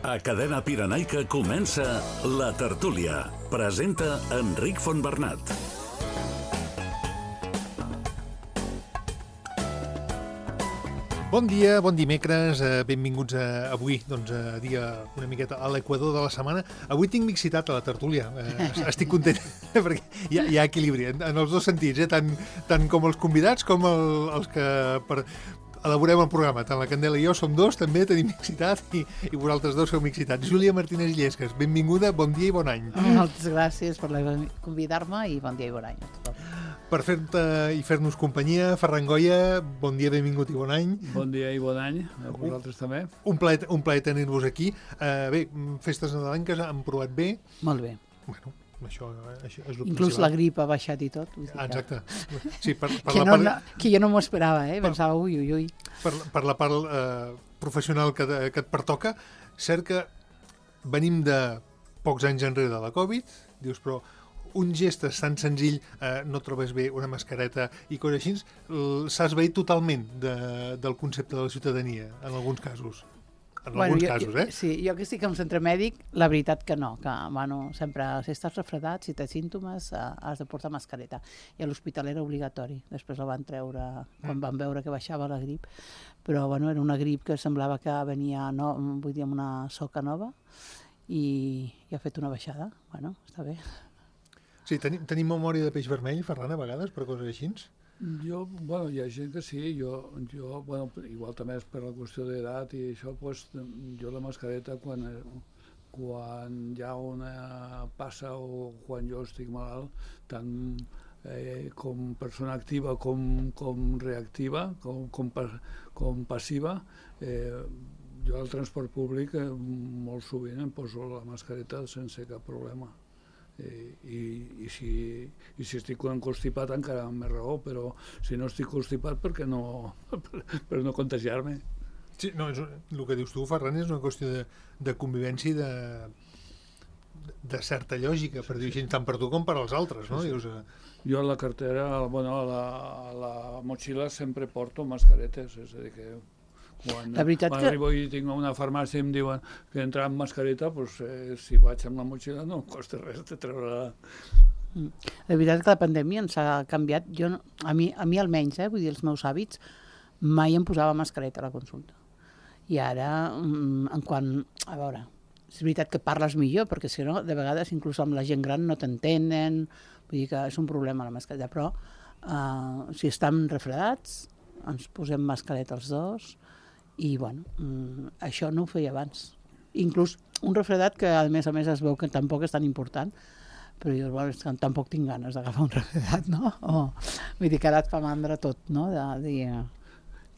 A Cadena Pirenaica comença La Tertúlia. Presenta Enric Fontbernat. Bon dia, bon dimecres, benvinguts avui, doncs, a dia una miqueta a l'equador de la setmana. Avui tinc mixitat a la tertúlia, estic content perquè hi ha equilibri en els dos sentits, tant com els convidats com els que elaborem el programa. Tant la Candela i jo som dos, també tenim mixitat i vosaltres dos sou mixitats. Júlia Martínez Llesques, benvinguda, bon dia i bon any. Moltes gràcies per convidar-me i bon dia i bon any a tothom. Per fer-te i fer-nos companyia, Ferran Goya, bon dia, benvingut i bon any. Bon dia i bon any, a vosaltres també. Un plaer tenir-vos aquí. Bé, festes nadalenques han provat bé. Molt bé. Bueno, això és el Inclús principal. La grip ha baixat i tot. Exacte. Sí, que jo no m'ho esperava, pensava, ui. Per la part professional que et pertoca, cert que venim de pocs anys enrere de la Covid, dius, però un gest tan senzill, no trobes bé una mascareta i coses així, s'ha esvaït totalment del concepte de la ciutadania, en alguns casos. Sí, jo que estic en centre mèdic, la veritat que no, que sempre, si estàs refredat, si tens símptomes, has de portar mascareta. I a l'hospital era obligatori, després la van treure quan van veure que baixava la grip, però era una grip que semblava que venia, amb una soca nova, i ha fet una baixada. Està bé. Sí, tenim memòria de peix vermell, Ferran, a vegades, per coses així? Hi ha gent que sí, jo igual també és per la qüestió d'edat i això, jo la mascareta quan hi ha una passa o quan jo estic malalt, tant com persona activa com reactiva, com passiva, jo al transport públic molt sovint em poso la mascareta sense cap problema. I si estic constipat encara amb més raó, però si no estic constipat per no contagiar-me. Sí, no, el que dius tu, Ferran, és una qüestió de convivència i de certa lògica, per dir així, tant per tu com per als altres, no? Sí. Dius, Jo a la cartera, a la motxilla sempre porto mascaretes, és a dir que quan arribo i tinc una farmàcia i em diuen que entrar amb mascareta, si vaig amb la motxilla no em costa res de treure-la. La veritat que la pandèmia ens ha canviat, a mi almenys, vull dir, els meus hàbits, mai em posava mascareta a la consulta. I ara, a veure, és veritat que parles millor, perquè si no, de vegades, inclús amb la gent gran no t'entenen, vull dir que és un problema la mascareta, però si estem refredats, ens posem mascareta els dos, i això no ho feia abans. Inclús un refredat que a més es veu que tampoc és tan important, però jo tampoc tinc ganes d'agafar un refredat, no? Vull dir que ara et fa mandra tot, no?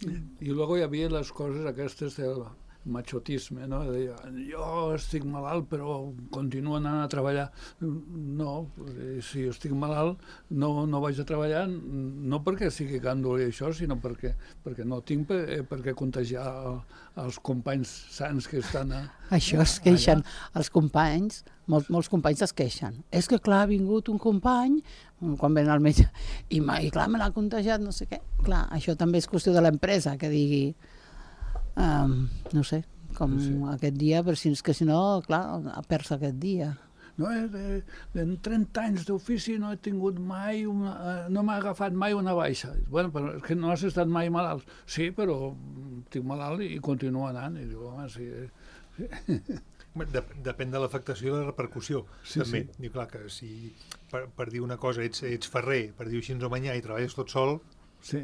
I luego hi havia les coses aquestes del machotisme, no? De dir, jo estic malalt però continuo anant a treballar. No, si estic malalt no vaig a treballar, no perquè sigui gàndol i això, sinó perquè no tinc per què contagiar els companys sants que estan Això es queixen els companys, molts companys es queixen. És que clar, ha vingut un company quan ven al metge i clar, me l'ha contagiat, no sé què. Clar, això també és qüestió de l'empresa, que digui no sé, com aquest dia, però si no, clar, perds aquest dia. No, en 30 anys d'ofici no he tingut mai no m'ha agafat mai una baixa. Però és que no has estat mai malalt. Sí, però estic malalt i continuo anant. I diu, home, sí. Depèn de l'afectació i la repercussió, també. Diu, clar, que si per dir una cosa ets ferrer, per dir-ho així, o manyà, i treballes tot sol,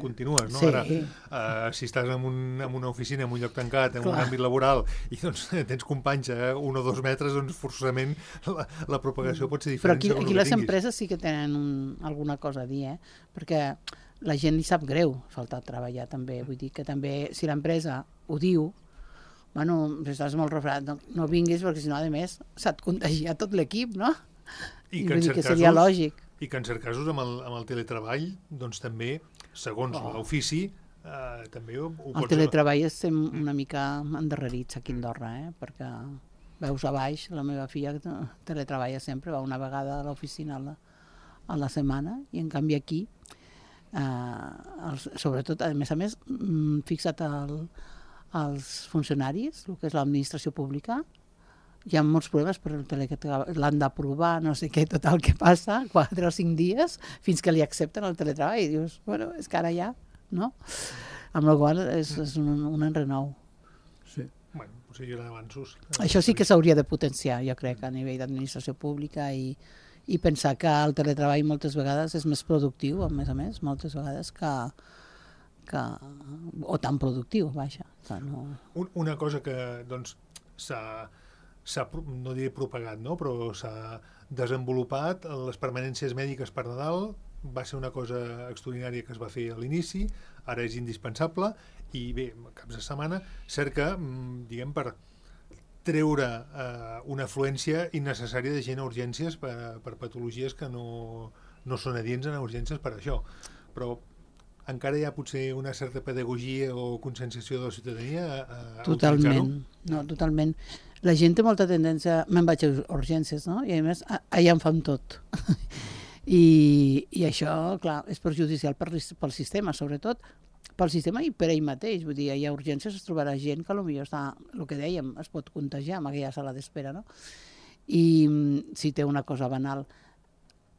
continues, no? Sí. Ara, si estàs en una oficina, en un lloc tancat, en un àmbit laboral, i tens companys a 1 o 2 metres, doncs forçosament la propagació pot ser diferent. Però aquí les empreses sí que tenen alguna cosa a dir, perquè la gent li sap greu faltar a treballar també. Vull dir que també, si l'empresa ho diu, si estàs molt refredat, no vinguis, perquè si no, a més, s'ha de contagiar tot l'equip, no? I vull dir que seria lògic. I que en certs casos amb el teletreball, doncs també, segons l'ofici, també ho pots... El teletreball estem una mica endarrerits aquí a Andorra, perquè veus a baix, la meva filla teletreballa sempre, va una vegada a l'oficina a la setmana, i en canvi aquí, sobretot, a més, fixa't als funcionaris, el que és l'administració pública, hi ha molts problemes, però l'han d'aprovar, no sé què, tot el que passa, 4 o 5 dies, fins que li accepten el teletreball. I dius, bueno, és que ara ja, no? Amb la qual és un enrenou. Sí. Bueno, potser hi haurà avanços. Això sí que s'hauria de potenciar, jo crec, a nivell d'administració pública i pensar que el teletreball moltes vegades és més productiu, a més, moltes vegades o tan productiu, vaja. No. Una cosa que doncs, s'ha, no diré propagat, no? Però s'ha desenvolupat, les permanències mèdiques per Nadal va ser una cosa extraordinària que es va fer a l'inici, ara és indispensable, i bé, caps de setmana, cerca, diguem, per treure una afluència innecessària de gent a urgències per patologies que no són adients a urgències per això. Però encara hi ha potser una certa pedagogia o conscienciació de la ciutadania a Totalment, no, totalment. La gent té molta tendència, me'n vaig a urgències, no? I a més, allà em fan tot. I això, clar, és perjudicial pel sistema, sobretot pel sistema i per ell mateix. Vull dir, hi ha urgències, es trobarà gent que potser està, el que dèiem, es pot contagiar amb aquella sala d'espera, no? I si té una cosa banal.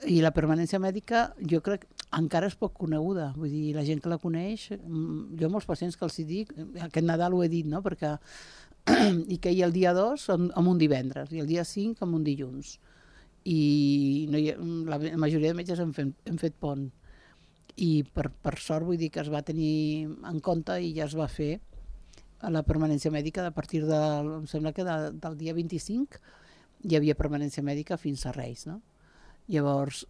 I la permanència mèdica, jo crec, encara és poc coneguda. Vull dir, la gent que la coneix, jo molts pacients que els dic, aquest Nadal ho he dit, no?, perquè i que hi el dia 2 amb un divendres i el dia 5 amb un dilluns. I no la majoria de metges hem fet pont. I per sort vull dir que es va tenir en compte i ja es va fer la permanència mèdica a partir em sembla que del dia 25 hi havia permanència mèdica fins a Reis, no? Llavors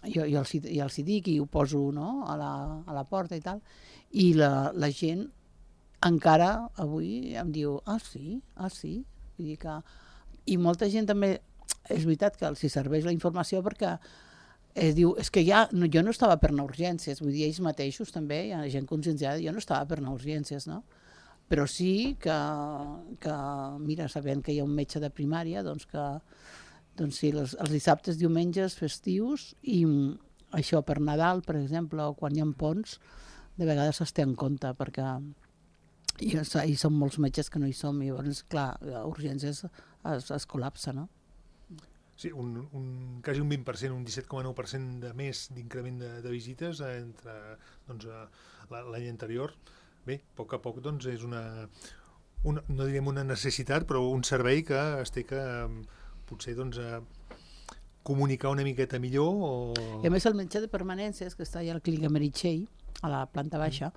jo els hi dic i ho poso, no?, a la porta i tal, i la gent encara avui em diu sí. Vull dir que... I molta gent també, és veritat que els serveix la informació perquè es diu, és que jo no estava per anar a urgències, vull dir, ells mateixos també, hi ha gent conscienciada, jo no estava per anar a urgències, no? Però sí que mira, sabent que hi ha un metge de primària, doncs sí, els dissabtes, diumenges, festius, i això per Nadal, per exemple, o quan hi ha ponts, de vegades es té en compte, perquè hi són molts metges que no hi som, i llavors, clar, a urgències es col·lapsa, no? Sí, quasi un 20%, un 17,9% de més d'increment de visites entre l'any anterior. Bé, a poc doncs, és no direm una necessitat, però un servei que es té que potser comunicar una miqueta millor. I a més el metge de permanències, que està allà a la clínica Meritxell, a la planta baixa,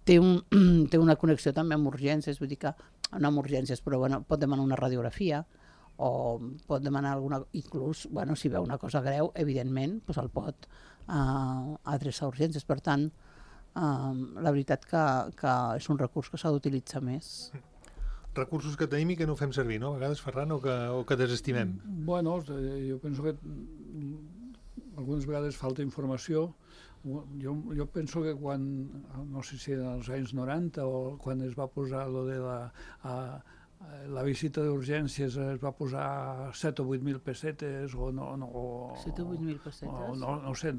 té una connexió també amb urgències, vull dir que no amb urgències, però bueno, pot demanar una radiografia, o pot demanar alguna... Inclús, bueno, si veu una cosa greu, evidentment, doncs el pot adreçar a urgències. Per tant, la veritat que és un recurs que s'ha d'utilitzar més. Recursos que tenim i que no fem servir, no? A vegades, Ferran, o que desestimem. Bueno, jo penso que algunes vegades falta informació. Jo penso que quan, no sé si en els anys 90 o quan es va posar lo de la visita d'urgències es va posar 7 o 8.000 pessetes o no... 7 o 8.000 pessetes? No sé,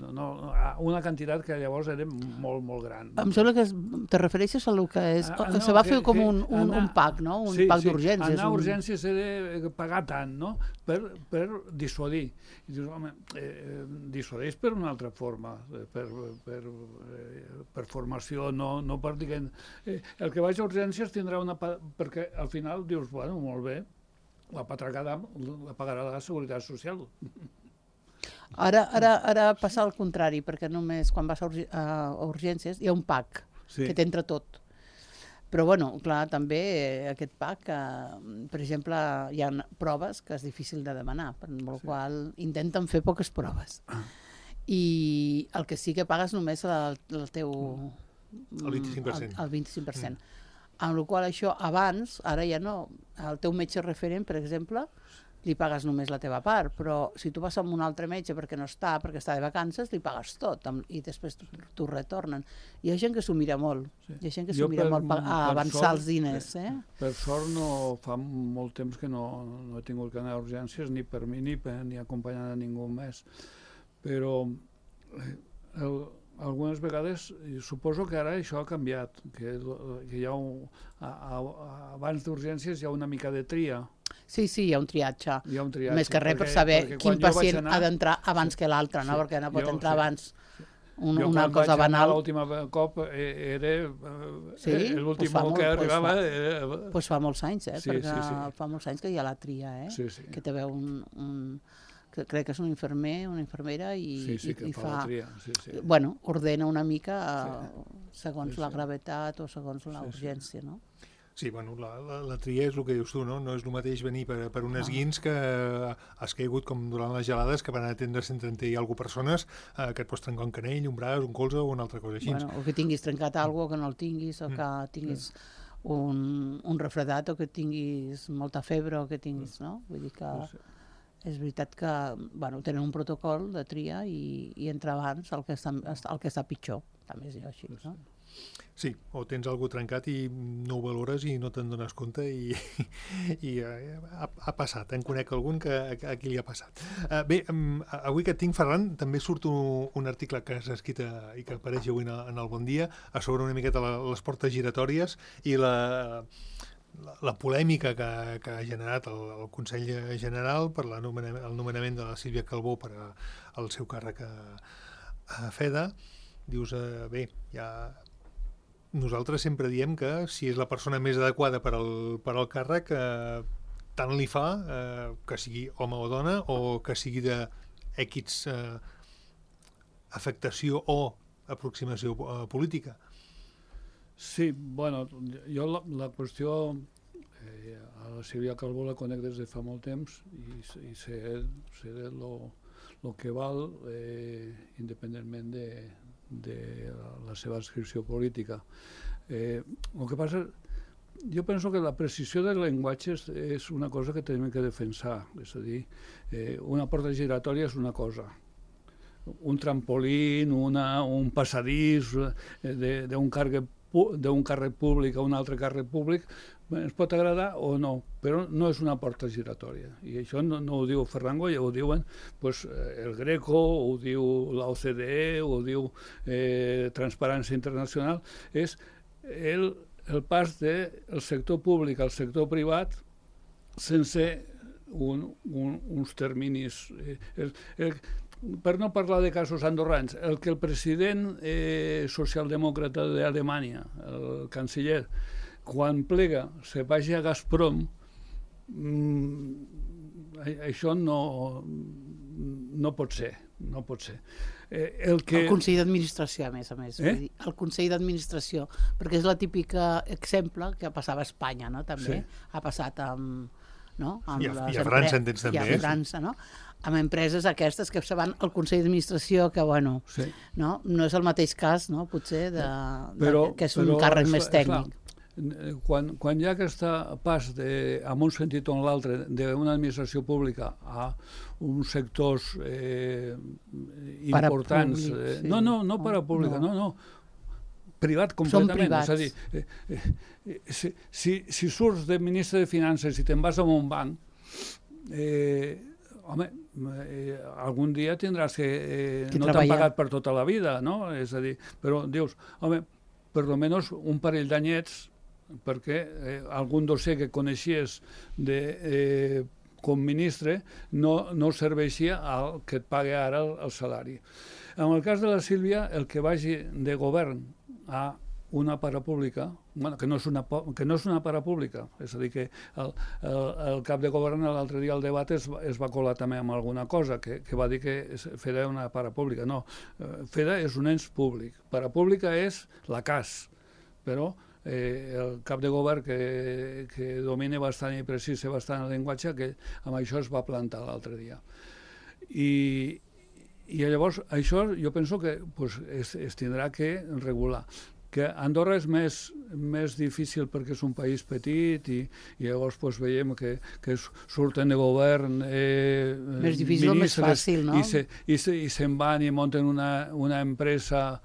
una quantitat que llavors era molt, molt gran. Em sembla que te refereixes a el que és... Se va fer com un PAC, no? Un PAC d'urgències. Anar a urgències era pagar tant, no? Per dissuadir. I dius, home, dissuadeix per una altra forma, per formació, no per dir... El que vaig a urgències tindrà una... Perquè al final dius, bueno, molt bé, la patracada la pagarà la Seguretat Social. Ara passa al contrari, perquè només quan vas a urgències hi ha un PAC que t'entra tot. Però, bueno, clar, també aquest PAC, per exemple, hi ha proves que és difícil de demanar, per la qual intenten fer poques proves. I el que sí que pagues només el teu... El 25%. El 25%. Amb la qual això abans, ara ja no, el teu metge referent, per exemple, li pagues només la teva part, però si tu vas amb un altre metge perquè està de vacances, li pagues tot i després t'ho retornen. Hi ha gent que s'ho mira molt, hi ha gent que s'ho mira molt a avançar els diners. Per sort fa molt temps que no he tingut que anar a urgències ni per mi ni acompanyant a ningú més, però algunes vegades suposo que ara això ha canviat, que hi ha abans d'urgències hi ha una mica de tria. Sí, hi ha un triatge. Hi ha un triatge. Més que res per saber quin pacient ha d'entrar abans que l'altre, no? Perquè no pot entrar abans una cosa banal. L'última cop era l'últim que arribava... Doncs fa molts anys, perquè fa molts anys que hi ha la tria, que te veu que crec que és un infermer, una infermera, i fa... Bueno, ordena una mica segons la gravetat o segons la urgència, no? Sí, bueno, la tria és el que dius tu, no? No és el mateix venir per un esguins que has caigut com durant les gelades, que van atendre 130 i alguna persones, que et pots trencar un canell, un braç, un colze o una altra cosa així. Bueno, o que tinguis trencat alguna cosa, que no el tinguis, o que tinguis un refredat, o que tinguis molta febre, o que tinguis, no? Vull dir que és veritat que tenen un protocol de tria i entra abans el que està pitjor, també és així, no? Sí, o tens algú trencat i no ho valores i no te'n dones compte i ha passat. En conec algun que a qui li ha passat. Bé, avui que et tinc, Ferran, també surt un article que has escrit i que apareix avui en el Bon Dia sobre una miqueta les portes giratòries i la polèmica que ha generat el Consell General per el nomenament de la Sílvia Calbó per al seu càrrec a FEDA. Dius, bé, nosaltres sempre diem que si és la persona més adequada per al càrrec, tant li fa que sigui home o dona o que sigui d'X afectació o aproximació política. Sí, bueno, jo la qüestió a la Sílvia Calbó la conec des de fa molt temps i sé el que val independentment de la seva adscripció política. El que passa, jo penso que la precisió del llenguatge és una cosa que tenim que defensar, és a dir, una porta giratòria és una cosa, un trampolín, un passadís d'un càrrec públic a un altre càrrec públic, ens pot agradar o no, però no és una porta giratòria. I això no ho diu Ferran Goya, ho diuen el Greco, ho diu l'OCDE, ho diu Transparència Internacional. És el pas del sector públic al sector privat sense uns terminis. Per no parlar de casos andorrans, el que el president socialdemòcrata d'Alemanya, el canciller, quan plega se vagi a Gazprom, això no pot ser. El Consell d'Administració, a més. El Consell d'Administració, perquè és la típica exemple que passava a Espanya, no? També ha passat amb... I a França en tens també. I a França, no? Amb empreses aquestes que se van al Consell d'Administració, que, bueno, no és el mateix cas, no? Potser, que és un càrrec més tècnic. Quan hi ha aquest pas en un sentit o en l'altre d'una administració pública a uns sectors importants, no parapública, no, privat completament. És a dir, si surts de ministre de Finances i te'n vas a un banc, home, algun dia tindràs que no t'han pagat per tota la vida, no? És a dir, però dius, home, per almenys un parell d'anyets perquè algun dossier que coneixies com ministre no serveixia al que et paga ara el salari. En el cas de la Sílvia, el que vagi de govern a una parapública, que no és una parapública, és a dir, que el cap de govern l'altre dia al debat es va colar també amb alguna cosa, que va dir que FEDA era una parapública. No, FEDA és un ens públic, parapública és la CAS, però el cap de govern que domina bastant i precisa bastant el llenguatge, que amb això es va plantar l'altre dia. I llavors això jo penso que es tindrà que regular. Que Andorra és més difícil perquè és un país petit i llavors veiem que surten de govern més difícil o més fàcil, no? I se'n van i munten una empresa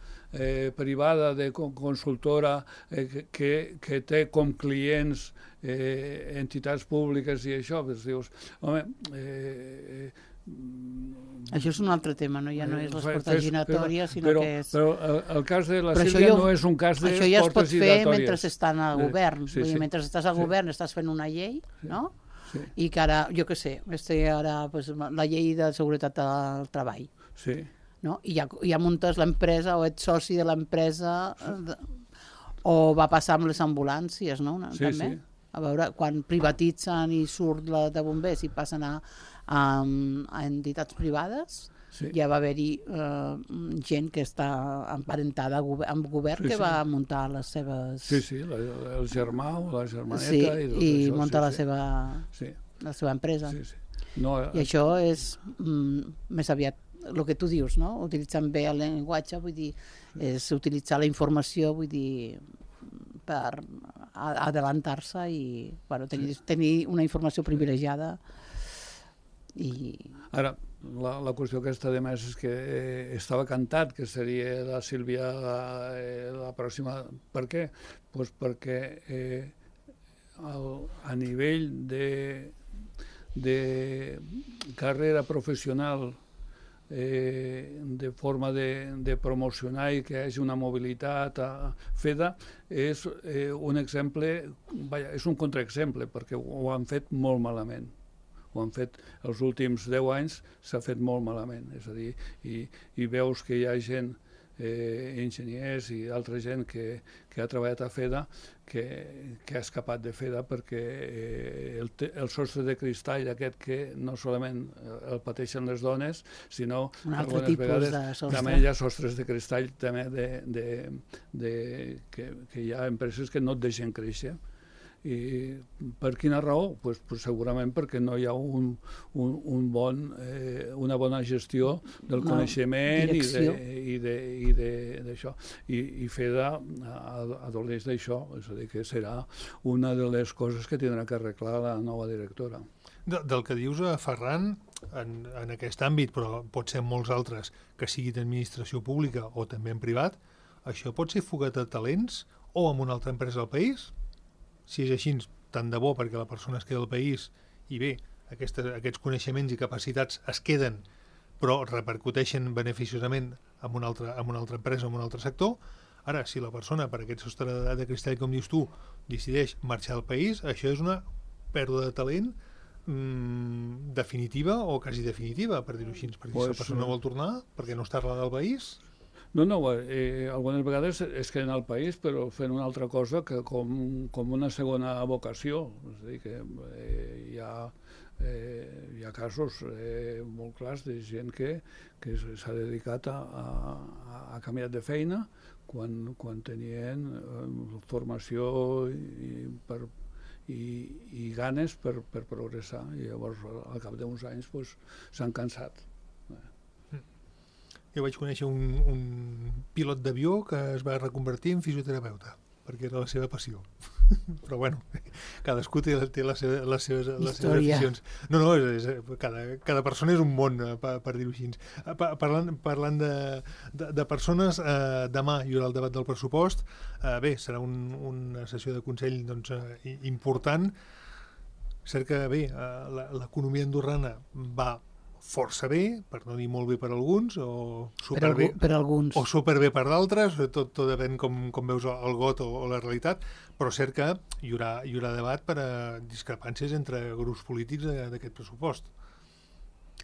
privada de consultora que té com clients entitats públiques i això, dius, home... Això és un altre tema, no? Ja no és les portes giratòries, sinó que és... Però el cas de la Sílvia no és un cas de portes giratòries. Això ja es pot fer mentre estan al govern. Mentre estàs al govern estàs fent una llei, no? Sí. I que ara, jo què sé, ara pues, la llei de seguretat del treball. Sí. No? I ja muntes l'empresa o ets soci de l'empresa o va passar amb les ambulàncies, no? Sí, també. sí. A veure, quan privatitzen i surt la de bombers i passen a entitats privades, Sí. ja va haver-hi gent que està emparentada amb govern Sí, que sí. va muntar les seves... Sí, sí, el germà o la germaneta Sí, i tot i això. muntar sí, la sí. seva empresa. Sí, sí. No, I això és més aviat el que tu dius, no? Utilitzant bé el llenguatge, vull dir, és utilitzar la informació, vull dir, per adelantar-se i bueno, tenir una informació privilegiada. I... Ara, la qüestió aquesta de més és que estava cantat que seria la Sílvia la pròxima. Per què? Pues perquè a nivell de carrera professional, de forma de promocionar i que hi hagi una mobilitat a FEDA és un exemple, és un contraexemple, perquè ho han fet molt malament. Ho han fet els últims 10 anys, s'ha fet molt malament. És a dir, i veus que hi ha gent, enginyers i altra gent que ha treballat a FEDA que ha escapat de FEDA perquè el sostre de cristall aquest que no solament el pateixen les dones, sinó algunes vegades també hi ha sostres de cristall també que hi ha empreses que no et deixen créixer. I per quina raó? Pues segurament perquè no hi ha una bona gestió del coneixement i d'això. I FEDA adoleix d'això, és a dir, que serà una de les coses que tindrà que arreglar la nova directora. Del que dius, Ferran, en aquest àmbit, però pot ser en molts altres, que sigui d'administració pública o també en privat, això pot ser fuga de talents o amb una altra empresa del país? Si és així, tant de bo perquè la persona es queda al país i bé, aquests coneixements i capacitats es queden però repercuteixen beneficiosament en una altra empresa o en un altre sector. Ara, si la persona, per aquest sostre de cristall, com dius tu, decideix marxar del país, això és una pèrdua de talent definitiva o quasi definitiva, per dir-ho així, perquè si la persona vol tornar, perquè no està arrelada al país... No, algunes vegades es queden al país però fent una altra cosa que com una segona vocació. És a dir, que hi ha casos molt clars de gent que s'ha dedicat a canviar de feina quan tenien formació i ganes per progressar. I llavors, al cap d'uns anys, s'han cansat. Jo vaig conèixer un pilot d'avió que es va reconvertir en fisioterapeuta, perquè era la seva passió. Però bueno, cadascú té les seves aficions. No, cada persona és un món, per dir-ho així. Parlant de persones, demà hi haurà el debat del pressupost. Bé, serà una sessió de consell important. Cert que bé, l'economia andorrana va força bé, per no dir molt bé per alguns, o superbé per alguns, o superbé per d'altres, tot depèn com veus el got o la realitat, però cert que hi haurà debat per a discrepàncies entre grups polítics d'aquest pressupost.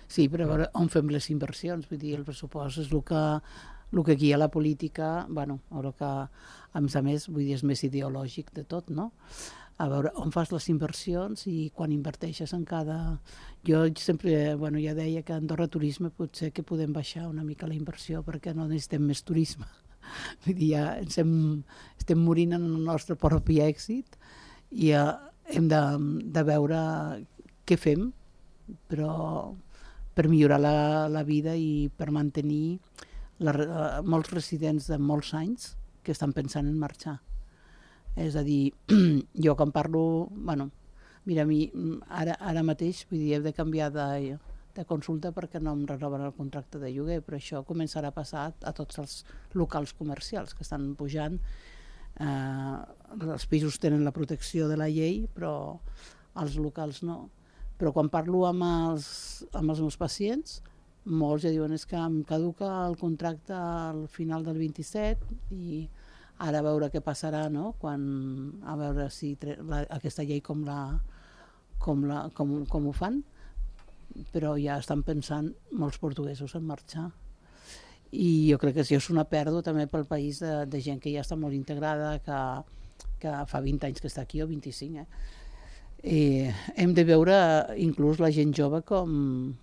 Sí, però a veure on fem les inversions, vull dir, el pressupost és el que guia la política, bueno, ara que a més, vull dir, és més ideològic de tot, no? A veure on fas les inversions i quan inverteixes en cada... Jo sempre, ja deia que a Andorra Turisme potser que podem baixar una mica la inversió perquè no necessitem més turisme. Vull dir, ja estem morint en el nostre propi èxit i hem de veure què fem, però per millorar la vida i per mantenir molts residents de molts anys que estan pensant en marxar. És a dir, jo quan parlo, mira, a mi ara mateix, vull dir, he de canviar de consulta perquè no em renoven el contracte de lloguer, però això començarà a passar a tots els locals comercials que estan pujant. Els pisos tenen la protecció de la llei, però els locals no. Però quan parlo amb els meus pacients, molts ja diuen que em caduca el contracte al final del 27 i ara a veure què passarà, no? A veure si aquesta llei com com ho fan, però ja estan pensant molts portuguesos en marxar. I jo crec que això és una pèrdua també pel país de gent que ja està molt integrada, que fa 20 anys que està aquí, o 25, hem de veure inclús la gent jove com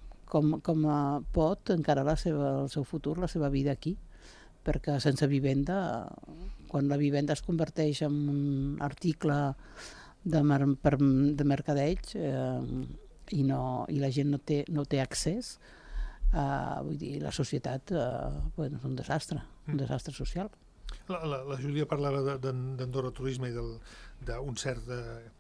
pot encarar el seu futur, la seva vida aquí, perquè sense vivenda, quan la vivenda es converteix en un article de mercadeig i la gent no té accés, vull dir, la societat és un desastre social. La Júlia parlava d'Andorra Turisme i d'un cert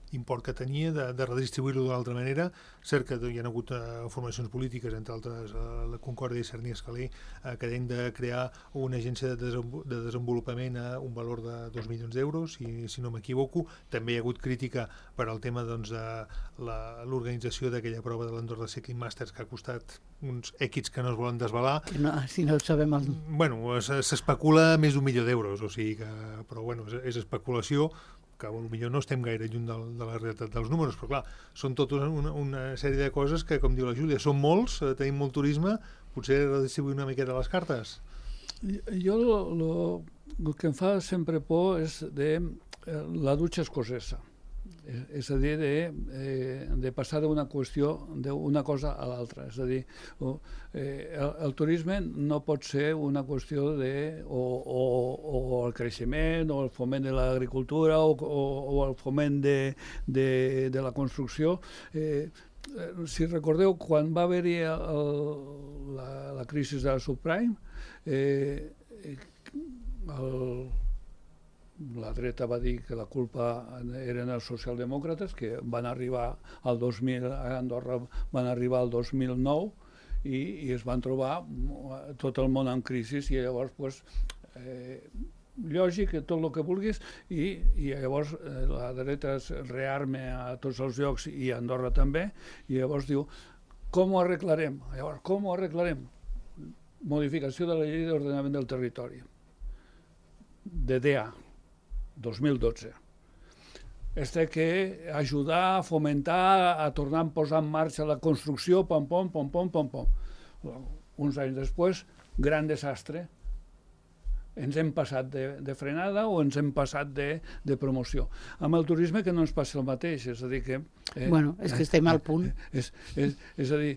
import que tenia, de redistribuir-lo d'una altra manera. Cert que hi ha hagut formacions polítiques, entre altres la Concòrdia i Cerny Escalé, que han de crear una agència de desenvolupament a un valor de 2 milions d'euros, si no m'equivoco. També hi ha hagut crítica per al tema de l'organització d'aquella prova de l'Andorra Cycling Masters, que ha costat uns èquits que no es volen desvelar. Si no sabem Bueno, s'especula més d'1 milió d'euros, o sigui que... Però bueno, és especulació, que potser no estem gaire lluny de la realitat dels números, però clar, són tota una sèrie de coses que, com diu la Júlia, són molts, tenim molt turisme, potser redistribuir una miqueta les cartes. Jo el que em fa sempre por és la dutxa escocesa. És a dir, de passar d'una qüestió, d'una cosa a l'altra. És a dir, el turisme no pot ser una qüestió o el creixement, o el foment de l'agricultura, o el foment de la construcció. Si recordeu, quan va haver-hi la crisi de la subprime, la dreta va dir que la culpa eren els socialdemòcrates, que van arribar al 2000, a Andorra van arribar al 2009 i es van trobar tot el món en crisi, i llavors lògic, tot el que vulguis, i llavors la dreta es rearma a tots els llocs i a Andorra també, i llavors diu, com ho arreglarem? Llavors, com ho arreglarem? Modificació de la llei d'ordenament del territori, de DEA, 2012. És que ajudar a fomentar, a tornar a posar en marxa la construcció, pom. Uns anys després, gran desastre. Ens hem passat de frenada o ens hem passat de promoció. Amb el turisme que no ens passa el mateix, és a dir que... Bueno, és que estem al punt. És a dir,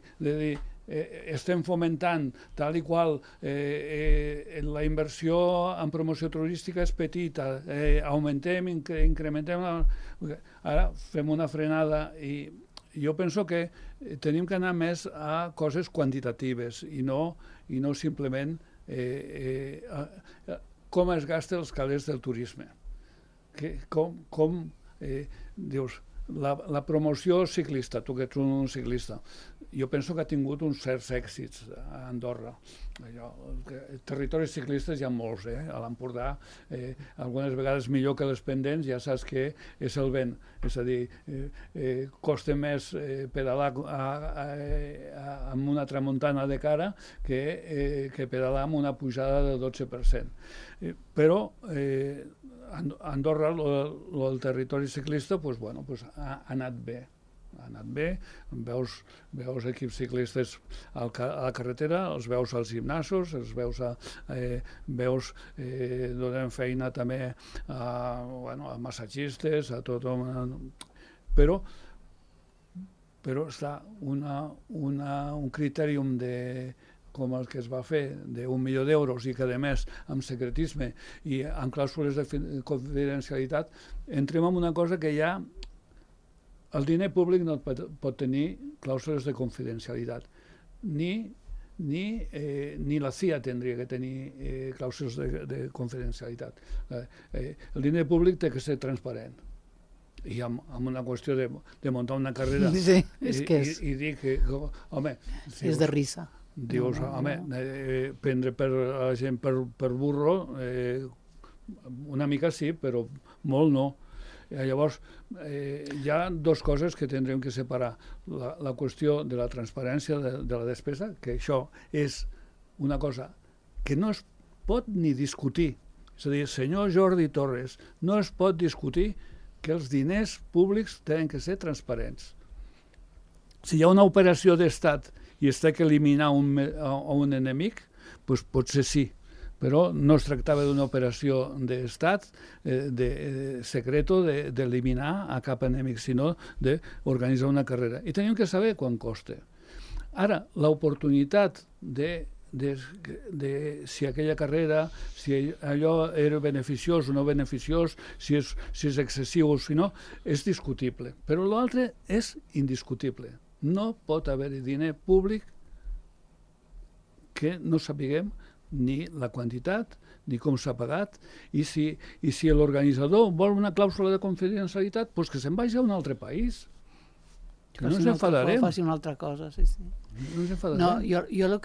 estem fomentant tal i qual, la inversió en promoció turística és petita, augmentem, incrementem, ara fem una frenada, i jo penso que tenim que anar més a coses quantitatives i no simplement com es gasten els calés del turisme. Com dius, la promoció ciclista, tu que ets un ciclista, jo penso que ha tingut uns certs èxits a Andorra. Territoris ciclistes hi ha molts, a l'Empordà, algunes vegades millor que les pendents, ja saps que és el vent, és a dir, costa més pedalar amb una tramuntana de cara que pedalar amb una pujada del 12%. Però Andorra, el territori ciclista, ha anat bé. Veus equips ciclistes a la carretera, els veus als gimnasos, els veus donem feina també a massatgistes, a tothom, però està un critèrium com el que es va fer, d'1 milió d'euros, i que a més amb secretisme i amb clàusules de confidencialitat, entrem en una cosa que ja el diner públic no pot tenir clàusules de confidencialitat, ni la CIA tindria que tenir clàusules de confidencialitat. El diner públic té que ser transparent, i amb una qüestió de muntar una carrera i dir que, home... És de risa. Dius, home, prendre la gent per burro, una mica sí, però molt no. Llavors, hi ha dues coses que tindrem que separar. La qüestió de la transparència de la despesa, que això és una cosa que no es pot ni discutir. És a dir, senyor Jordi Torres, no es pot discutir que els diners públics tenen que ser transparents. si hi ha una operació d'estat i es té que eliminar un enemic, doncs potser sí, però no es tractava d'una operació d'estat, de secreto, d'eliminar a cap enemic, sinó d'organitzar una carrera. I tenim que saber quant costa. Ara, l'oportunitat de si aquella carrera, si allò era beneficiós o no beneficiós, si és excessiu o si no, és discutible. Però l'altre és indiscutible. No pot haver-hi diner públic que no sapiguem ni la quantitat, ni com s'ha pagat, i si l'organitzador vol una clàusula de confidencialitat, doncs que se'n vagi a un altre país. Que no ens enfadarem. Faci una altra cosa, sí. No ens enfadarem. No, jo el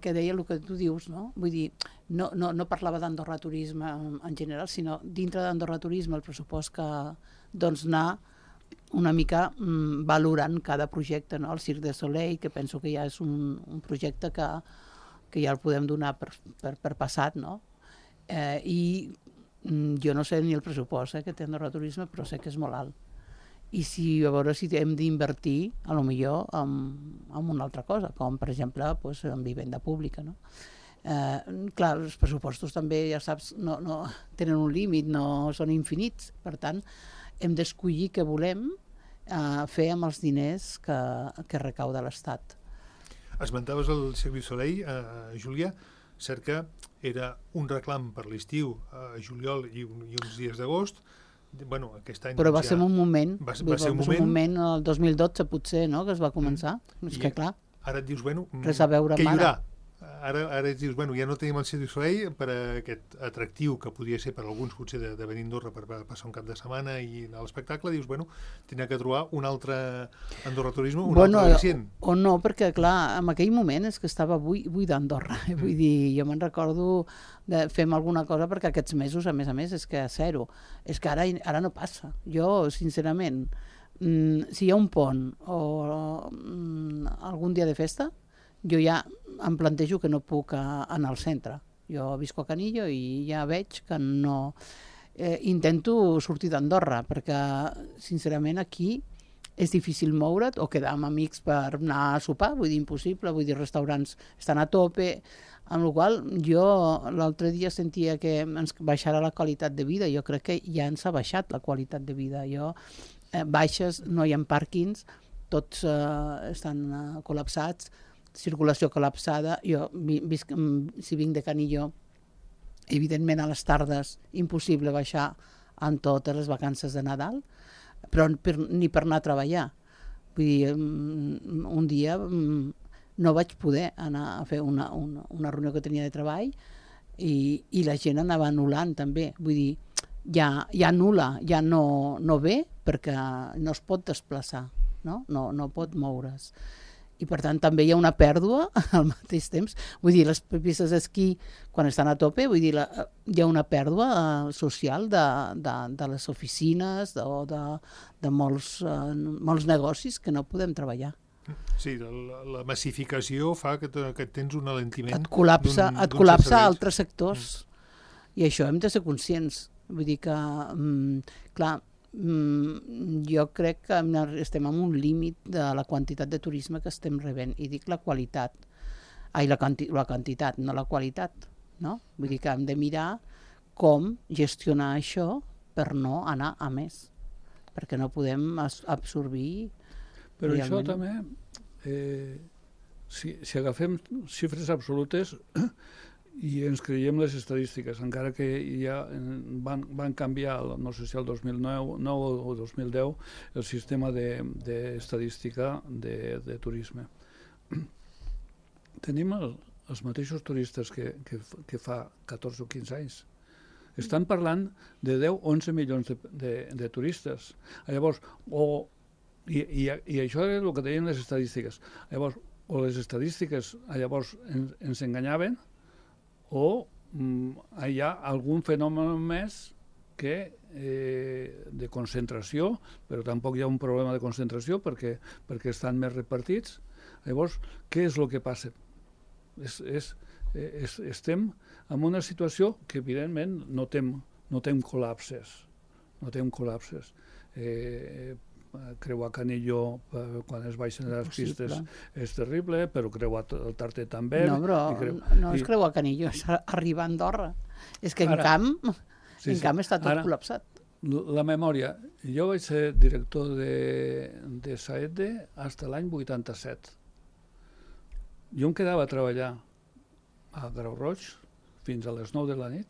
que deia, el que tu dius, no? Vull dir, no parlava d'Andorra Turisme en general, sinó dintre d'Andorra Turisme el pressupost que doncs anar una mica valorant cada projecte, no? El Cirque du Soleil, que penso que ja és un projecte que ja el podem donar per passat, no? I jo no sé ni el pressupost que té Andorra Turisme, però sé que és molt alt. I a veure si hem d'invertir, a lo millor, en una altra cosa, com per exemple en vivenda pública, no? Clar, els pressupostos també, ja saps, no tenen un límit, no són infinits, per tant, hem d'escollir què volem fer amb els diners que recauda l'Estat. Esmentaves el Cirque du Soleil, Júlia, cert que era un reclam per l'estiu a juliol i uns dies d'agost. Bueno, aquest any, però va ser un moment, va ser un moment, el 2012 potser, no?, que es va començar. És que clar, ara et dius, bueno, res a veure què hi amb haurà? Ara et dius, bueno, ja no tenim el Cirque du Soleil per aquest atractiu que podia ser per alguns potser de venir a Andorra per passar un cap de setmana i anar a l'espectacle, dius, bueno, tindrà que trobar un altre Andorra Turisme, un altre al·licient. O no, perquè clar, en aquell moment és que estava buida Andorra. Vull dir, jo me'n recordo de fem alguna cosa perquè aquests mesos, a més, és que a zero. És que ara no passa. Jo, sincerament, si hi ha un pont o algun dia de festa, jo ja em plantejo que no puc anar al centre. Jo visco a Canillo i ja veig que no... Intento sortir d'Andorra, perquè, sincerament, aquí és difícil moure't o quedar amb amics per anar a sopar, vull dir, impossible, vull dir, restaurants estan a tope, amb la qual jo l'altre dia sentia que ens baixarà la qualitat de vida. Jo crec que ja ens ha baixat la qualitat de vida. Baixes, no hi ha pàrquings, tots estan col·lapsats, circulació col·lapsada. Jo, si vinc de Canillo, evidentment a les tardes impossible baixar en totes les vacances de Nadal, però ni per anar a treballar. Vull dir, un dia no vaig poder anar a fer una reunió que tenia de treball i la gent anava anul·lant també. Vull dir, ja anul·la, ja no ve perquè no es pot desplaçar, no pot moure's. I per tant també hi ha una pèrdua al mateix temps. Vull dir, les pistes d'esquí, quan estan a tope, vull dir, hi ha una pèrdua social de les oficines o de molts negocis que no podem treballar. Sí, la massificació fa que tens un alentiment. Et col·lapsa a altres sectors. I això hem de ser conscients. Vull dir que, clar, jo crec que estem en un límit de la quantitat de turisme que estem rebent, i dic la qualitat, la quantitat, no la qualitat, no? Vull dir que hem de mirar com gestionar això per no anar a més, perquè no podem absorbir. Però realment... això també, si agafem xifres absolutes i ens creiem les estadístiques, encara que ja van canviar, no sé si el 2009 o 2010, el sistema d'estadística de turisme. Tenim els mateixos turistes que fa 14 o 15 anys. Estan parlant de 10 o 11 milions de turistes. Llavors, i això és el que deien les estadístiques. Llavors, o les estadístiques llavors ens enganyaven, o hi ha algun fenomen més que de concentració, però tampoc hi ha un problema de concentració perquè estan més repartits. Llavors, què és el que passa? Estem en una situació que evidentment no tem col·lapses. creuar Canillo quan es baixen les pistes és terrible, però creuar el Tarter també. No, però no es creuar Canillo, és arribar a Andorra. És que en camp està tot col·lapsat. La memòria. Jo vaig ser director de Saedde fins l'any 87. Jo em quedava a treballar a Grau Roig fins a les 9 de la nit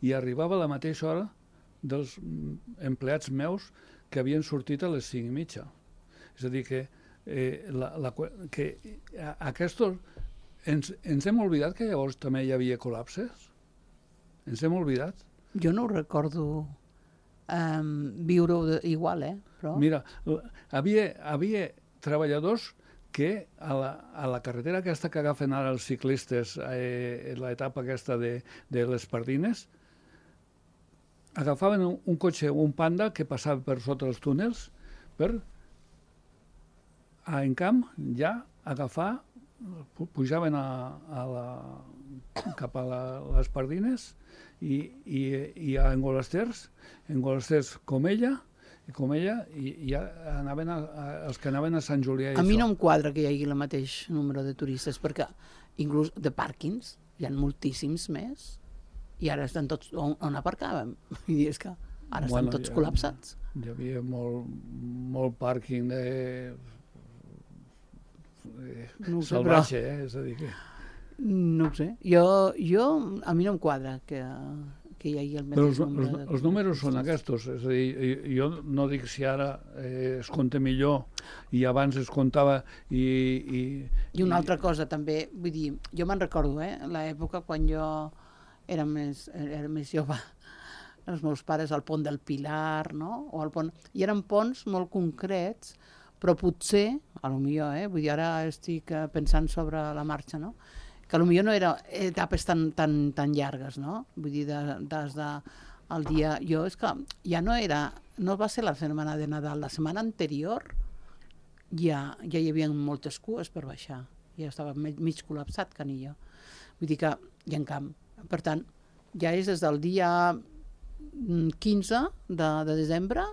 i arribava a la mateixa hora dels empleats meus que havien sortit a les 5:30. És a dir, que aquests... Ens hem oblidat que llavors també hi havia col·lapses? Ens hem oblidat? Jo no ho recordo viure-ho igual, però... Mira, havia treballadors que a la carretera aquesta que agafen ara els ciclistes, l'etapa aquesta de les Pardines, agafaven un cotxe, un Panda, que passava per sota els túnels, per, en camp, ja agafar, pujaven cap a les Pardines i a Engolasters Comella, i ja anaven els que anaven a Sant Julià. A mi no em quadra que hi hagi el mateix número de turistes, perquè inclús de pàrquings hi ha moltíssims més, i ara estan tots on aparcàvem. I és que ara estan tots col·lapsats. Hi havia molt pàrquing salvatge, és a dir que... No ho sé. A mi no em quadra que hi hagi el mateix nombre. Els números són aquests. És a dir, jo no dic si ara es compta millor i abans es comptava I una altra cosa també, vull dir, jo me'n recordo, l'època quan jo era més jove, els meus pares al pont del Pilar, no? I eren ponts molt concrets, però potser, potser, vull dir, ara estic pensant sobre la marxa, no? Que potser no eren etapes tan llargues, no? Vull dir, des del dia... Jo és que ja no va ser la setmana de Nadal, la setmana anterior ja hi havia moltes cues per baixar, ja estava mig col·lapsat Canillo. Vull dir que hi ha camp. Per tant, ja és des del dia 15 de desembre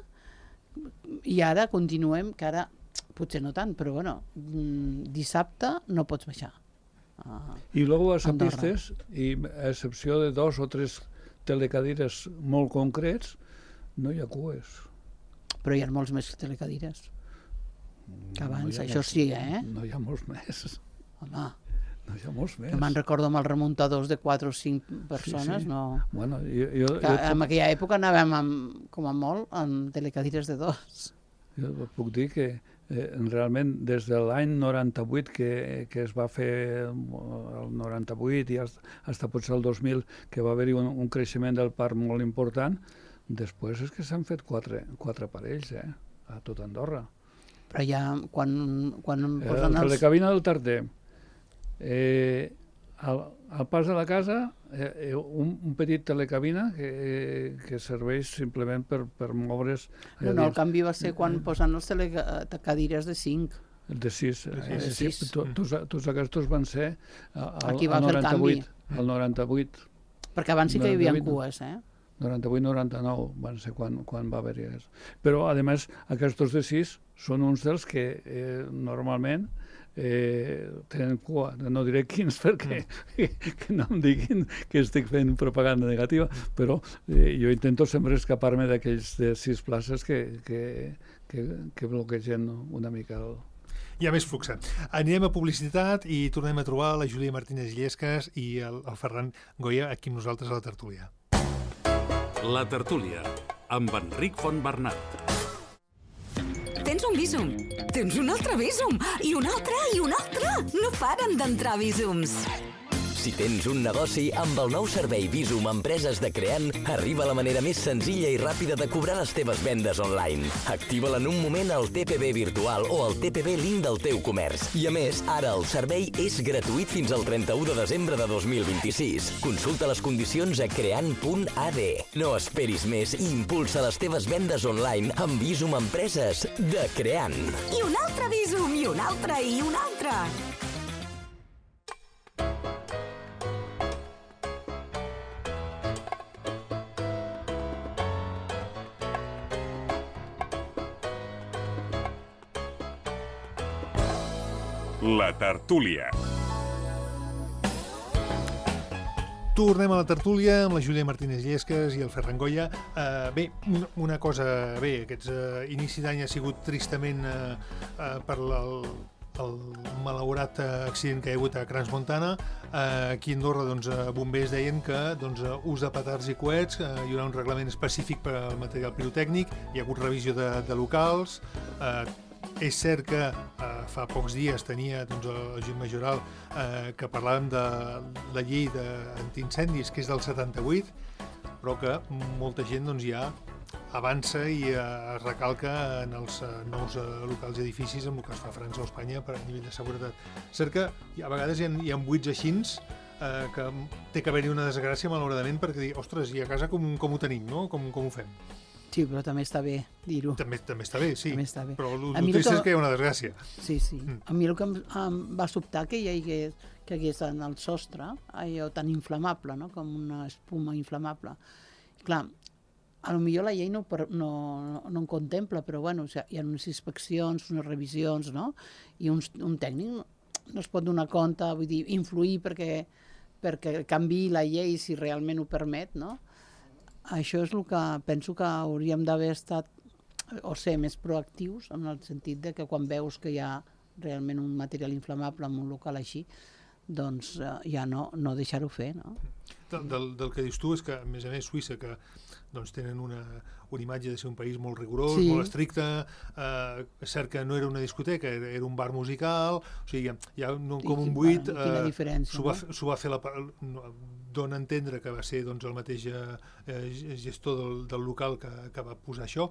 i ara continuem, que ara potser no tant, però bueno, dissabte no pots baixar. I luego a les pistes, i a excepció de 2 o 3 telecadires molt concrets, no hi ha cues. Però hi ha molts més telecadires que abans, això sí, No hi ha molts més. Home, no hi ha molts més. Que me'n recordo amb els remuntadors de 4 o 5 persones, sí. No... Bueno, en aquella època anàvem com a molt amb telecadires de 2. Jo puc dir que realment des de l'any 98 que es va fer el 98 i fins potser el 2000 que va haver-hi un creixement del parc molt important, després és que s'han fet 4 parells a tot Andorra. Però ja quan posen els... La cabina del Tarter, al pas de la casa, un petit telecabina que serveix simplement per moure's... No, el canvi va ser quan posen els telecadires de 5. De 6. Tots aquests van ser al 98. Al 98. Perquè abans sí que hi havia cues, 98-99 van ser quan va haver-hi això. Però, a més, aquests de 6 són uns dels que normalment tenen cua. No diré quins perquè que no em diguin que estic fent propaganda negativa, però jo intento sempre escapar-me d'aquells de 6 places que bloquegen una mica el... Hi ha més flux. Anirem a publicitat i tornem a trobar la Júlia Martínez Illescas i el Ferran Goya aquí amb nosaltres a la tertúlia. La tertúlia, amb Enric Fontbernat. Tens un Bizum, tens un altre Bizum, i un altre, i un altre. No paren d'entrar Bizums. Si tens un negoci, amb el nou servei Bizum Empreses de Creant, arriba la manera més senzilla i ràpida de cobrar les teves vendes online. Activa-la en un moment al TPB virtual o al TPB Link del teu comerç. I a més, ara el servei és gratuït fins al 31 de desembre de 2026. Consulta les condicions a creant.ad. No esperis més i impulsa les teves vendes online amb Bizum Empreses de Creant. I un altre Bizum, i un altre, i un altre. La tertúlia. Tornem a la tertúlia amb la Júlia Martínez Llesques i el Ferran Goya. Bé, una cosa... Bé, aquests inici d'any ha sigut tristament per el malaurat accident que hi ha hagut a Crans Montana. Aquí a Andorra, bombers deien que ús de petards i coets, hi haurà un reglament específic per al material pirotècnic, hi ha hagut revisió de locals. És cert que fa pocs dies tenia el Jim Majoral que parlàvem de la llei d'antiincendis, que és del 78, però que molta gent ja avança i es recalca en els nous locals i edificis amb el que es fa a França o a Espanya per a nivell de seguretat. És cert que a vegades hi ha buits així que té que haver-hi una desgràcia, malauradament, perquè dir, ostres, i a casa com ho tenim, no? Com ho fem? Sí, però també està bé dir-ho. També està bé, sí. També està bé. Però el trist és que hi ha una desgràcia. Sí. A mi el que em va sobtar que hi hagués en el sostre allò tan inflamable, no? Com una espuma inflamable. Clar, potser la llei no en contempla, però bueno, hi ha unes inspeccions, unes revisions, no? I un tècnic no es pot donar compte, vull dir, influir perquè canviï la llei si realment ho permet, no? Això és el que penso que hauríem d'haver estat o ser més proactius en el sentit de que quan veus que hi ha realment un material inflamable en un local així, doncs ja no deixar-ho fer, no? Del que dius tu és que, a més, Suïssa, que tenen una imatge de ser un país molt rigorós, molt estricte, és cert que no era una discoteca, era un bar musical, o sigui, hi ha com un buit, quina diferència, s'ho va fer dona a entendre que va ser el mateix gestor del local que va posar això.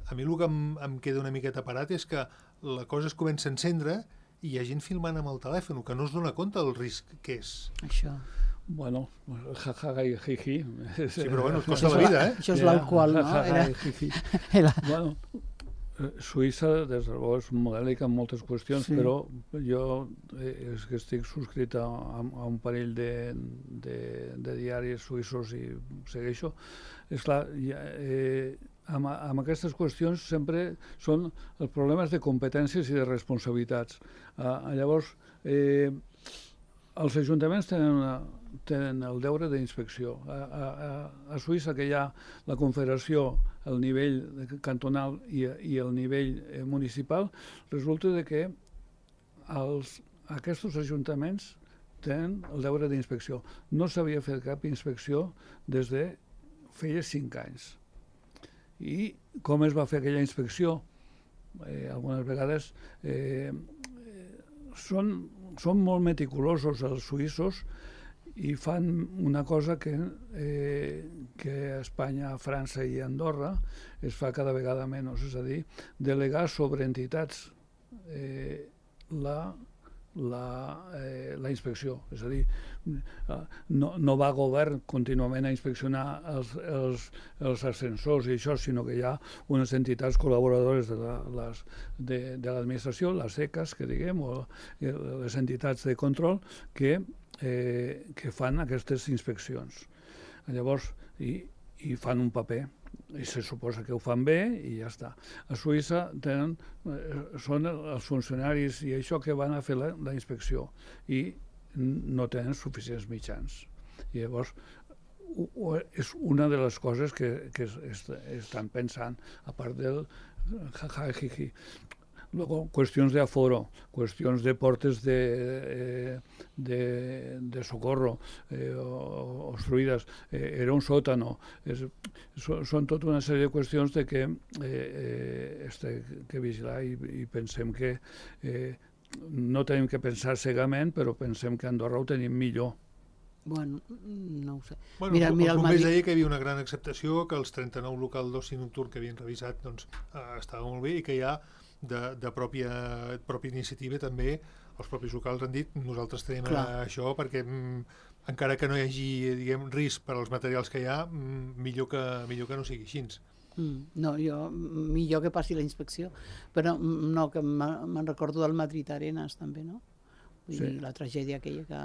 A mi el que em queda una miqueta parat és que la cosa es comença a encendre i hi ha gent filmant amb el telèfon, que no es dona compte del risc que és. Això. Bueno, jajaja i jiji. Sí, però bueno, et costa la vida, Això és l'alcohol, no? Jajaja i jiji. Bueno, Suïssa, des de bo, és un model en moltes qüestions, però jo és que estic subscrit a un parell de diaris suïssos i segueixo. És clar, amb aquestes qüestions sempre són els problemes de competències i de responsabilitats. Llavors, els ajuntaments tenen el deure d'inspecció. A Suïssa, que hi ha la confederació, el nivell cantonal i el nivell municipal, resulta que aquests ajuntaments tenen el deure d'inspecció. No s'havia fet cap inspecció des de feia 5 anys. I com es va fer aquella inspecció? Algunes vegades són molt meticulosos els suïssos i fan una cosa que a Espanya, a França i a Andorra es fa cada vegada menys, és a dir, delegar sobre entitats la inspecció. És a dir, no va govern contínuament a inspeccionar els ascensors i això, sinó que hi ha unes entitats col·laboradores de l'administració, les ECAs, que diguem, o les entitats de control, que fan aquestes inspeccions. Llavors, i fan un paper, i se suposa que ho fan bé i ja està. A Suïssa són els funcionaris i això que van a fer la inspecció i no tenen suficients mitjans. I llavors és una de les coses que estan pensant, a part del jajajiji. Luego, cuestiones de aforo, cuestiones de portes de socorro obstruidas, era un sótano. Són tota una sèrie de qüestions que vigilar i pensem que no tenim que pensar cegament, però pensem que a Andorra ho tenim millor. Bueno, no ho sé. Bueno, els bombers deia que hi havia una gran acceptació, que els 39 locals d'oci nocturn que havien revisat estava molt bé i que hi ha de pròpia iniciativa també els propis locals han dit nosaltres tenim això perquè encara que no hi hagi risc per als materials que hi ha millor que no sigui així. No, millor que passi la inspecció, però no, que me'n recordo del Madrid Arenas també, no? Vull dir, la tragèdia aquella que...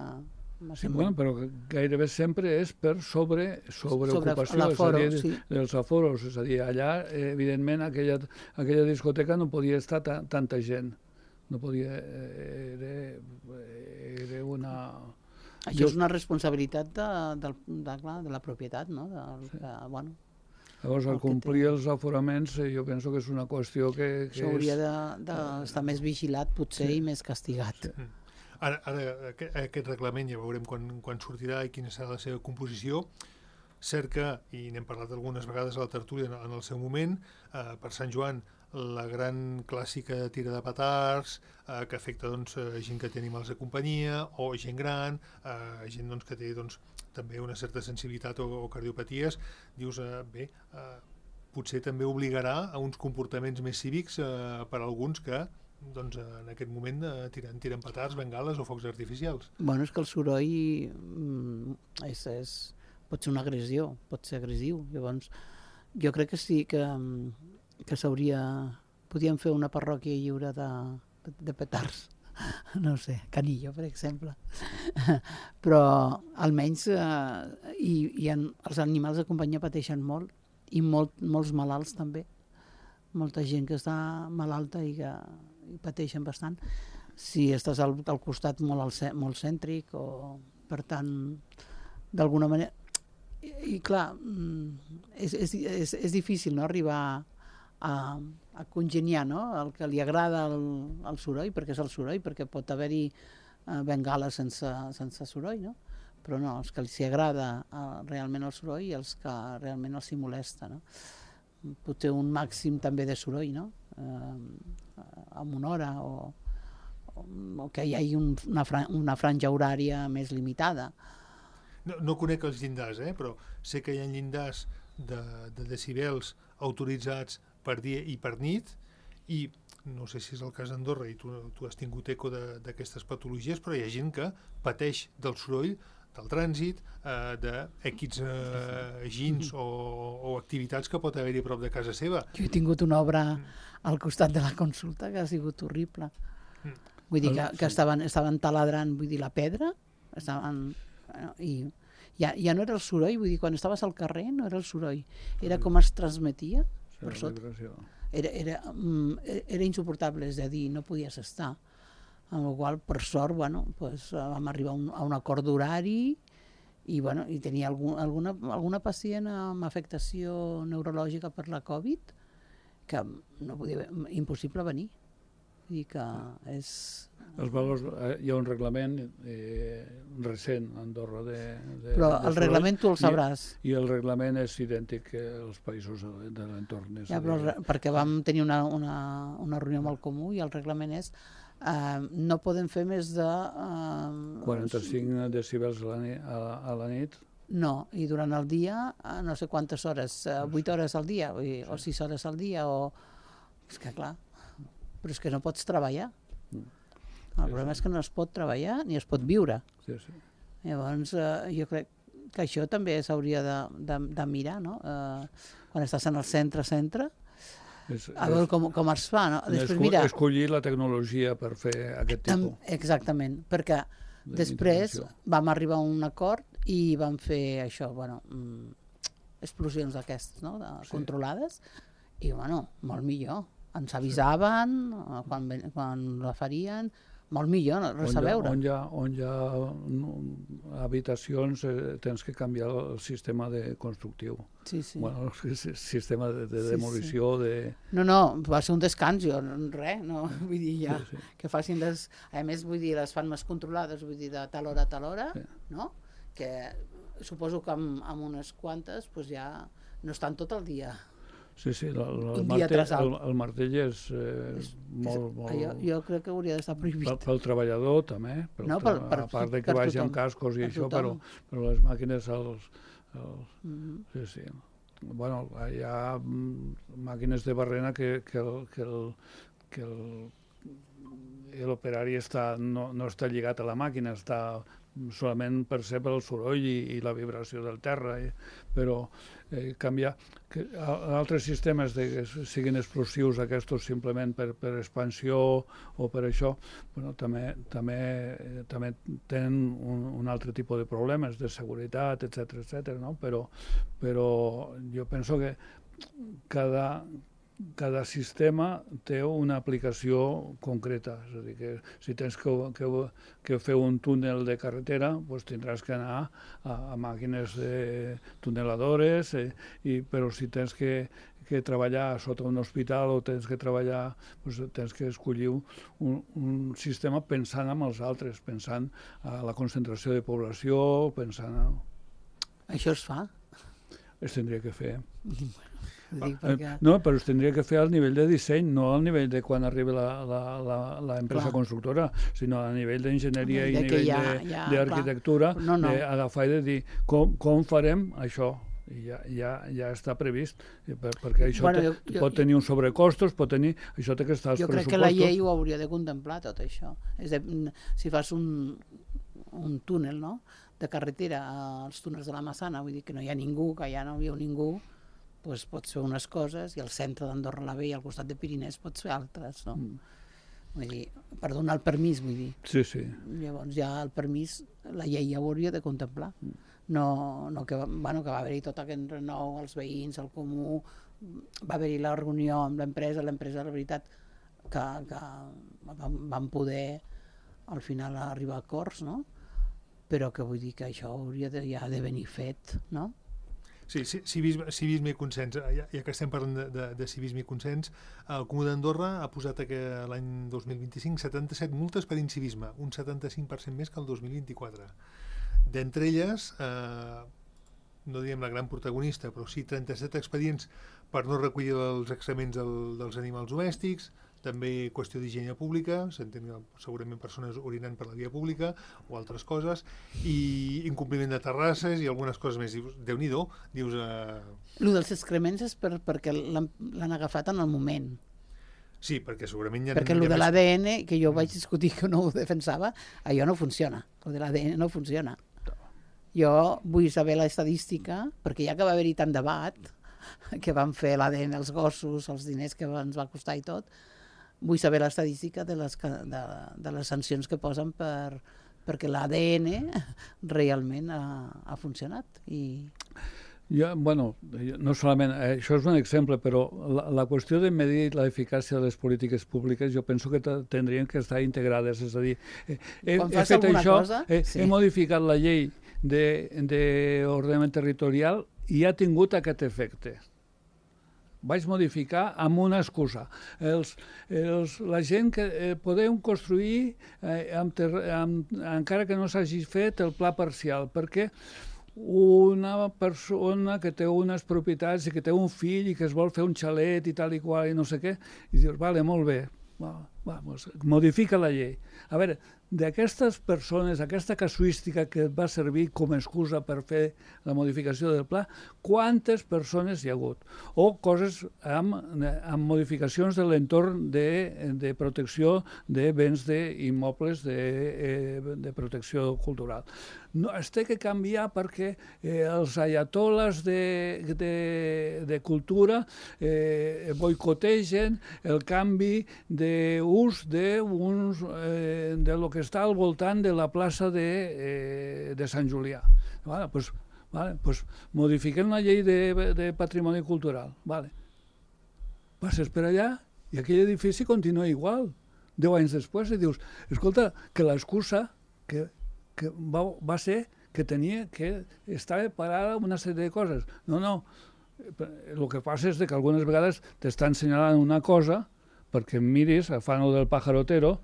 Sí, bueno, però gairebé sempre és per sobreocupació, és a dir, dels aforos. És a dir, allà, evidentment, aquella discoteca no podia estar tanta gent. no podia... Era una... Això és una responsabilitat de la propietat, no? Bueno, llavors, al complir els aforaments, jo penso que és una qüestió que això hauria d'estar més vigilat, potser, i més castigat. Ara aquest reglament ja veurem quan sortirà i quina serà la seva composició. Cert que, i n'hem parlat algunes vegades a la tertúlia en el seu moment, per Sant Joan, la gran clàssica tira de petards, que afecta gent que té animals de companyia, o gent gran, gent que té també una certa sensibilitat o cardiopaties. Dius, potser també obligarà a uns comportaments més cívics per a alguns que en aquest moment tiren petards, bengales o focs artificials. Bueno, és que el soroll pot ser una agressió, pot ser agressiu. Llavors, jo crec que sí que podíem fer una parròquia lliure de petards. No sé, Canillo, per exemple. Però almenys els animals de companyia pateixen molt, i molts malalts també. Molta gent que està malalta i que pateixen bastant. Si estàs al costat molt cèntric, o per tant, d'alguna manera... I clar, és difícil, no?, arribar a congeniar, no?, el que li agrada el soroll, perquè és el soroll, perquè pot haver-hi bengales sense soroll, no? Però no, els que els agrada realment el soroll i els que realment els hi molesta, no? Pot ter un màxim també de soroll, no?, amb una hora, o que hi hagi una franja horària més limitada. No conec els llindars, però sé que hi ha llindars de decibels autoritzats per dia i per nit, i no sé si és el cas d'Andorra i tu has tingut eco d'aquestes patologies, però hi ha gent que pateix del soroll, del trànsit, d'equips gins o activitats que pot haver-hi a prop de casa seva. Jo he tingut una obra al costat de la consulta que ha sigut horrible. Vull dir que estaven taladrant, vull dir, la pedra, i ja no era el soroll, vull dir, quan estaves al carrer no era el soroll, era com es transmetia per sota. Era insuportable, és a dir, no podies estar. Amb la qual, per sort, vam arribar a un acord d'horari i tenia alguna pacient amb afectació neurològica per la Covid que no podia, impossible venir. Vull dir que és... Els valors, hi ha un reglament recent a Andorra però el reglament tu el sabràs. I el reglament és idèntic als països de l'entorn. Perquè vam tenir una reunió amb el Comú i el reglament és no podem fer més de... 45 decibels a la nit. No, i durant el dia, no sé quantes hores, 8 hores al dia, o 6 hores al dia, o... És que clar, però és que no pots treballar. El problema és que no es pot treballar ni es pot viure. Llavors, jo crec que això també s'hauria de mirar, no? Quan estàs en el centre, a veure com es fa, no? Escollir la tecnologia per fer aquest tipus. Exactament, perquè després vam arribar a un acord i vam fer això, explosions d'aquestes, no?, controlades, i molt millor. Ens avisaven quan la farien, molt millor, res a veure. On hi ha habitacions tens que canviar el sistema constructiu. Sí. El sistema de demolició. No, va ser un descans, res, no, vull dir, ja, que facin a més, vull dir, les fan més controlades, vull dir, de tal hora, no? Que suposo que amb unes quantes ja no estan tot el dia. Sí, el martell és molt... Jo crec que hauria d'estar prohibit. Pel treballador també, a part que vagi amb cascos i això, però les màquines... Sí. Bueno, hi ha màquines de barrena que l'operari no està lligat a la màquina, està solament percep el soroll i la vibració del terra, però canviar altres sistemes que siguin explosius, aquests simplement per expansió o per això, també tenen un altre tipus de problemes de seguretat, etc., no? Però jo penso que cada sistema té una aplicació concreta. És a dir, que si tens que fer un túnel de carretera, doncs tindràs que anar a màquines tuneladores, però si tens que treballar sota un hospital o tens que treballar, doncs tens que escollir un sistema pensant en els altres, pensant a la concentració de població, pensant a... Això es fa? Es tindria que fer. Perquè... No, però es tindria que fer al nivell de disseny, no al nivell de quan arriba l'empresa constructora, sinó a nivell d'enginyeria i a nivell d'arquitectura, d'agafar i de dir com farem això. I ja està previst, perquè això pot tenir uns sobrecostos, això té que estar als pressupostos. Jo crec que la llei ho hauria de contemplar, tot això. Si fas un túnel, no?, de carretera als túnels de la Massana, vull dir que no hi ha ningú, que ja no hi ha ningú, doncs pots fer unes coses i al centre d'Andorra la Vella, al costat de Pirinès, pots fer altres, no? Vull dir, per donar el permís, vull dir. Sí, sí. Llavors ja el permís, la llei ja ho hauria de contemplar. No que va haver-hi tot aquest renou, els veïns, el comú, va haver-hi la reunió amb l'empresa, la veritat, que van poder al final arribar a acords, no? Però que vull dir que això hauria ja de venir fet, no? Sí, civisme i consens. Ja que estem parlant de civisme i consens, el Comú d'Andorra ha posat l'any 2025 77 multes per incivisme, un 75% més que el 2024. D'entre elles, no diguem la gran protagonista, però sí 37 expedients per no recollir els excrements dels animals domèstics, també qüestió d'higiene pública, s'entén segurament persones orinant per la via pública o altres coses, i incompliment de terrasses i algunes coses més. Déu-n'hi-do, dius... Lo dels excrements és perquè l'han agafat en el moment. Sí, perquè segurament perquè el de l'ADN, que jo vaig discutir que no ho defensava, allò no funciona. El de l'ADN no funciona. Jo vull saber l'estadística, perquè ja que va haver-hi tant debat, que van fer l'ADN als gossos, els diners que ens va costar i tot, vull saber l'estadística de les sancions que posen perquè l'ADN realment ha funcionat. No solament, això és un exemple, però la qüestió de medir l'eficàcia de les polítiques públiques jo penso que tindrien que estar integrades. És a dir, he fet això, he modificat la llei d'ordenament territorial i ha tingut aquest efecte. Vaig modificar amb una excusa. La gent que podem construir encara que no s'hagi fet el pla parcial, perquè una persona que té unes propietats i que té un fill i que es vol fer un xalet i tal i qual i no sé què, i dius, vale, molt bé, modifica la llei. A veure, d'aquestes persones, aquesta casuística que va servir com a excusa per fer la modificació del pla, quantes persones hi ha hagut? O coses amb modificacions de l'entorn de protecció de béns d'immobles de protecció cultural. No, es té que canviar perquè els ayatoles de cultura boicotegen el canvi d'ús de lo que està al voltant de la plaça de Sant Julià. Doncs modifiquem la llei de patrimoni cultural. Passes per allà i aquell edifici continua igual. 10 anys després i dius, escolta, que l'excusa que va ser que estava parada una sèrie de coses. No. El que passa és que algunes vegades t'estan assenyalant una cosa perquè miris, fan el del pajarotero,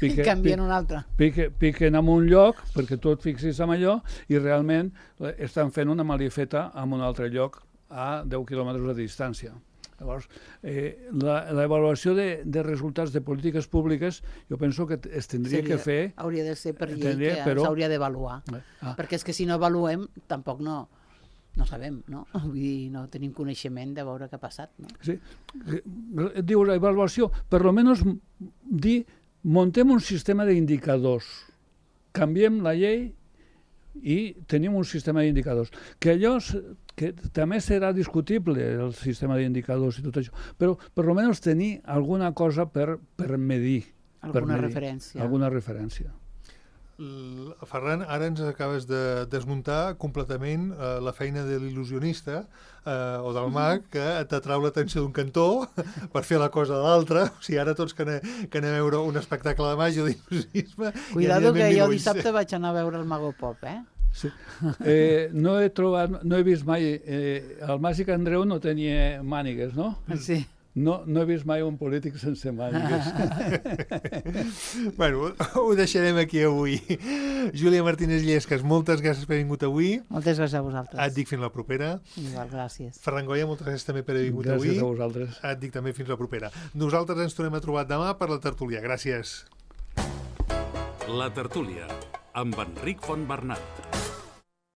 i canvien un altre. Piquen en un lloc perquè tu et fixis en allò i realment estan fent una malifeta en un altre lloc a 10 quilòmetres de distància. Llavors, l'avaluació de resultats de polítiques públiques jo penso que es tindria que fer... Hauria de ser per llei que s'hauria d'avaluar. Perquè és que si no avaluem tampoc no sabem, no? Vull dir, no tenim coneixement de veure què ha passat, no? Sí. Dius, avaluació, per almenys dir, montem un sistema d'indicadors, canviem la llei i tenim un sistema d'indicadors. Que allò que també serà discutible, el sistema d'indicadors i tot això, però per almenys tenir alguna cosa per medir. Alguna referència. Alguna referència. Ferran, ara ens acabes de desmuntar completament la feina de l'il·lusionista o del mag que t'atrau l'atenció d'un cantó per fer la cosa de l'altre. O sigui, ara tots que anem a veure un espectacle de màgia o d'il·lusionisme... Cuidado que jo dissabte vaig anar a veure el Mago Pop, Sí. No he vist mai... El Màgic Andreu no tenia mànigues, no? Sí. No he vist mai un polític sense mànigues. Bueno, ho deixarem aquí avui. Júlia Martínez Llescas, moltes gràcies per haver vingut avui. Moltes gràcies a vosaltres. Et dic fins la propera. Igual, gràcies. Ferran Goya, moltes gràcies també per haver vingut avui. Gràcies a vosaltres. Et dic també fins la propera. Nosaltres ens tornem a trobar demà per la tertúlia. Gràcies. La tertúlia, amb Enric Fontbernat.